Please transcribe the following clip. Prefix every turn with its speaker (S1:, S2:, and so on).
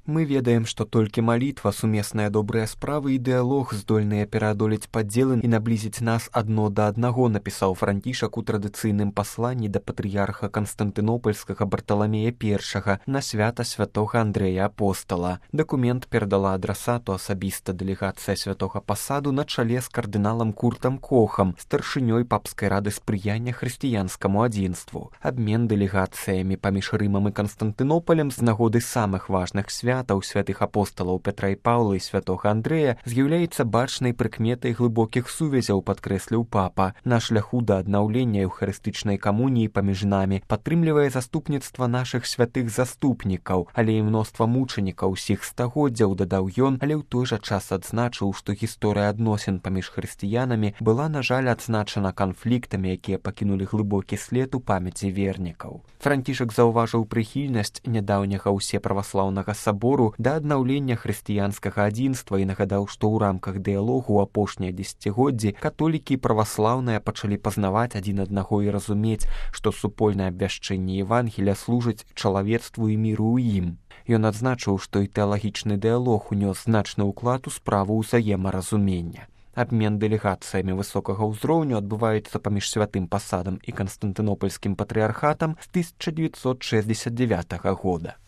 S1: Мы ведаем, што толькі малітва, сумесныя добрыя справы і дыялог здольныя пераадолець падзелы і наблізіць нас адно да аднаго, напісаў Францішак у традыцыйным пасланні да патрыярха Канстантынопольскага Барталамея I на свята святога Андрэя Апостала. Дакумент перадала адрасату асабіста дэлегацыя святога пасаду на чале з кардыналам Куртам Кохам, старшынёй папскай рады спрыяння хрысціянскаму адзінству. Абмен дэлегацыямі паміж Рымам і Канстантынопалем з нагоды самых важных святаў святых апосталаў Пятра і Паўла і святога Андрэя з'яўляецца бачнай прыкметай глыбокіх сувязяў, падкрэсліў папа. На шляху да аднаўлення эўхарыстычнай камуніі паміж намі падтрымлівае заступніцтва нашых святых заступнікаў, але і мноства мучанікаў усіх стагоддзяў, дадаў ён, але ў той жа час адзначыў, што гісторыя адносін паміж хрысціянамі была, на жаль, адзначана канфліктамі, якія пакінулі глыбокі след у памяці вернікаў. Францішак заўважыў прыхільнасць нядаўняга ўсеправаслаўнага сабору да аднаўлення хрысціянскага адзінства і нагадаў, што ў рамках дыялогу ў апошнія дзесяцігоддзі католікі і праваслаўныя пачалі пазнаваць адзін аднаго і разумець, што супольнае абвяшчэнне Евангелія служыць чалавецтву і міру ў ім. Ён адзначыў, што і тэалагічны дыялог унёс значны ўклад у справу ўзаемаразумення. Абмен дэлегацыямі высокага ўзроўню адбываецца паміж святым пасадам і Канстантынопольскім патрыярхатам з 1969 года.